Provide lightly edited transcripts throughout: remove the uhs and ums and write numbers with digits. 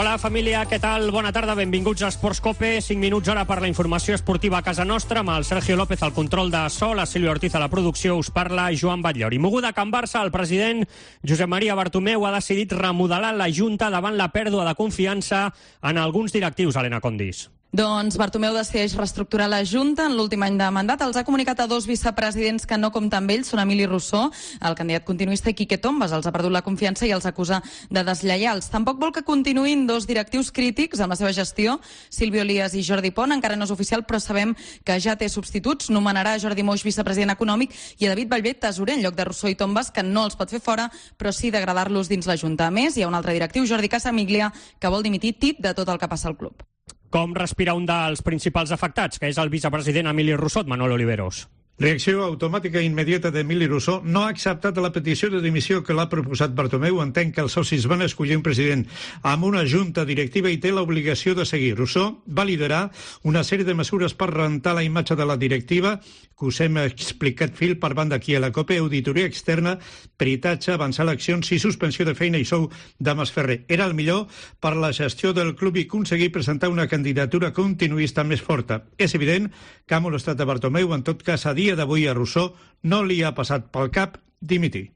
Hola, família, què tal? Bona tarda, benvinguts a Esports Cope. 5 minuts ara per la informació esportiva a casa nostra, amb el Sergio López al control de so, la Sílvia Ortiz a la producció, us parla Joan Batllori. Moguda a Can Barça, el president Josep Maria Bartomeu ha decidit remodelar la Junta davant la pèrdua de confiança en alguns directius, Helena Condis. Doncs Bartomeu decideix reestructurar la Junta en l'últim any de mandat. Els ha comunicat a dos vicepresidents que no compten amb ells, són Emili Rousseau, el candidat continuista, i Quique Tombas. Els ha perdut la confiança i els acusa de deslleials. Tampoc vol que continuïn dos directius crítics amb la seva gestió, Silvio Elias i Jordi Pont. Encara no és oficial, però sabem que ja té substituts. Nomenarà Jordi Moix vicepresident econòmic i a David Ballbé tesorer en lloc de Rousseau i Tombas, que no els pot fer fora, però sí degradar-los dins la Junta. A més, hi ha un altre directiu, Jordi Casamiglia, que vol dimitir tip de tot el que passa al club. Com respira un dels principals afectats, que és el vicepresident Emili Rousseau, Manuel Oliveros? Reacció automàtica i immediata d'Emili Rousseau. No ha acceptat la petició de dimissió que l'ha proposat Bartomeu. Entén que els socis van escollir un president amb una junta directiva i té l'obligació de seguir. Rousseau va liderar una sèrie de mesures per rentar la imatge de la directiva, que us hem explicat fil per banda aquí a la COPE: auditoria externa, peritatge, avançar eleccions i suspensió de feina i sou de Masferrer. Era el millor per la gestió del club i aconseguir presentar una candidatura continuista més forta. És evident que ha molestat a Bartomeu. En tot cas, a dia d'avui a Rousseau no li ha passat pel cap dimitir.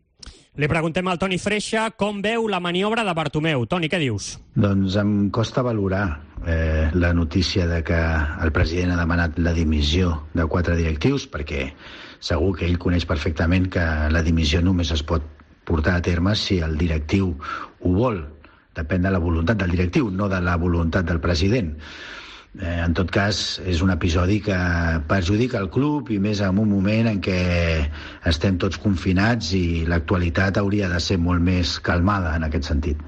Li preguntem al Toni Freixa com veu la maniobra de Bartomeu. Toni, què dius? Doncs em costa valorar la notícia de que el president ha demanat la dimissió de 4 directius, perquè segur que ell coneix perfectament que la dimissió només es pot portar a terme si el directiu ho vol. Depèn de la voluntat del directiu, no de la voluntat del president. En tot cas, és un episodi que perjudica el club, i més en un moment en què estem tots confinats i l'actualitat hauria de ser molt més calmada en aquest sentit.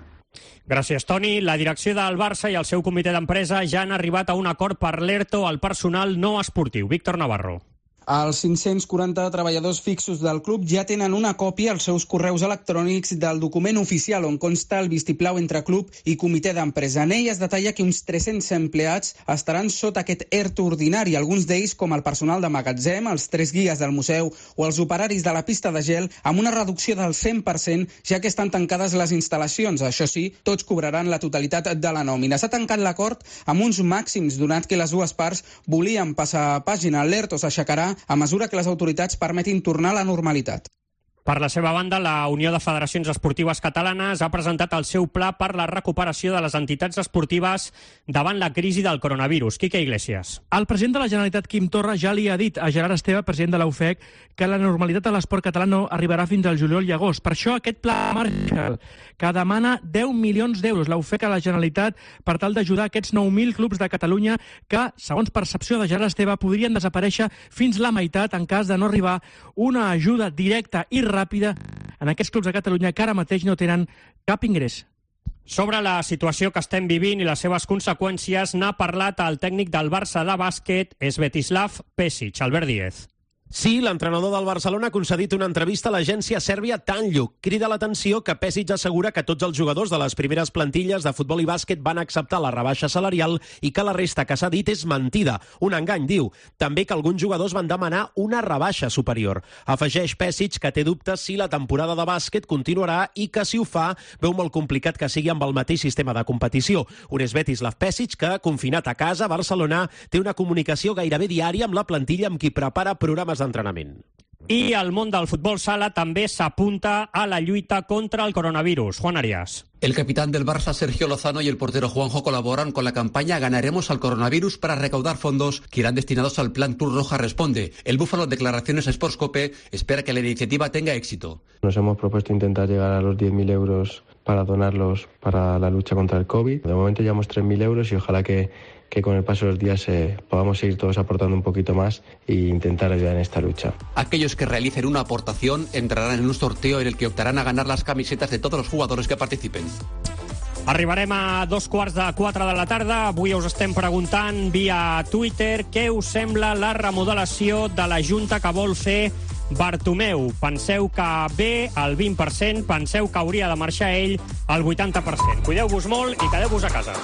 Gràcies, Toni. La direcció del Barça i el seu comitè d'empresa ja han arribat a un acord per l'ERTO al personal no esportiu. Víctor Navarro. Els 540 treballadors fixos del club ja tenen una còpia als seus correus electrònics del document oficial on consta el vistiplau entre club i comitè d'empresa. En ell es detalla que uns 300 empleats estaran sota aquest ERTO ordinari, alguns d'ells com el personal de magatzem, els 3 guies del museu o els operaris de la pista de gel, amb una reducció del 100%, ja que estan tancades les instal·lacions. Això sí, tots cobraran la totalitat de la nòmina. S'ha tancat l'acord amb uns màxims, donat que les dues parts volien passar pàgina. L'ERTO s'aixecarà a mesura que les autoritats permetin tornar a la normalitat. Per la seva banda, la Unió de Federacions Esportives Catalanes ha presentat el seu pla per la recuperació de les entitats esportives davant la crisi del coronavirus. Quique Iglesias. El president de la Generalitat, Quim Torra, ja li ha dit a Gerard Esteve, president de la UFEC, que la normalitat a l'esport català no arribarà fins al juliol i agost. Per això aquest pla Marshall, que demana 10 milions d'euros, la UFEC a la Generalitat, per tal d'ajudar aquests 9.000 clubs de Catalunya que, segons percepció de Gerard Esteve, podrien desaparèixer fins la meitat en cas de no arribar una ajuda directa i ràpida en aquests clubs de Catalunya que ara mateix no tenen cap ingrés. Sobre la situació que estem vivint i les seves conseqüències n'ha parlat el tècnic del Barça de bàsquet, Svetislav Pesic. Albert Díez. Sí, l'entrenador del Barcelona ha concedit una entrevista a l'agència sèrbia Tanjug. Crida l'atenció que Pesic assegura que tots els jugadors de les primeres plantilles de futbol i bàsquet van acceptar la rebaixa salarial i que la resta que s'ha dit és mentida. Un engany, diu. També que alguns jugadors van demanar una rebaixa superior. Afegeix Pesic que té dubtes si la temporada de bàsquet continuarà i que, si ho fa, veu molt complicat que sigui amb el mateix sistema de competició. Un Svetislav Pesic que, confinat a casa, a Barcelona, té una comunicació gairebé diària amb la plantilla amb qui prepara programes d'entrenament. I el món del futbol sala també s'apunta a la lluita contra el coronavirus. Juan Arias. El capitán del Barça, Sergio Lozano, y el portero Juanjo colaboran con la campaña Ganaremos al coronavirus para recaudar fondos que irán destinados al Plan Cruz Roja Responde. El Búfalo, en declaraciones a Sports Cope, espera que la iniciativa tenga éxito. Nos hemos propuesto intentar llegar a los 10.000 euros para donarlos para la lucha contra el COVID. De momento llevamos 3.000 euros y ojalá que con el paso de los días podamos seguir todos aportando un poquito más e intentar ayudar en esta lucha. Aquellos que realicen una aportación entrarán en un sorteo en el que optarán a ganar las camisetas de todos los jugadores que participen. Arribarem a 3:45 de la tarda. Avui us estem preguntant via Twitter què us sembla la remodelació de la Junta que vol fer Bartomeu. Penseu que bé, el 20%, penseu que hauria de marxar ell, el 80%. Cuideu-vos molt i quedeu-vos a casa.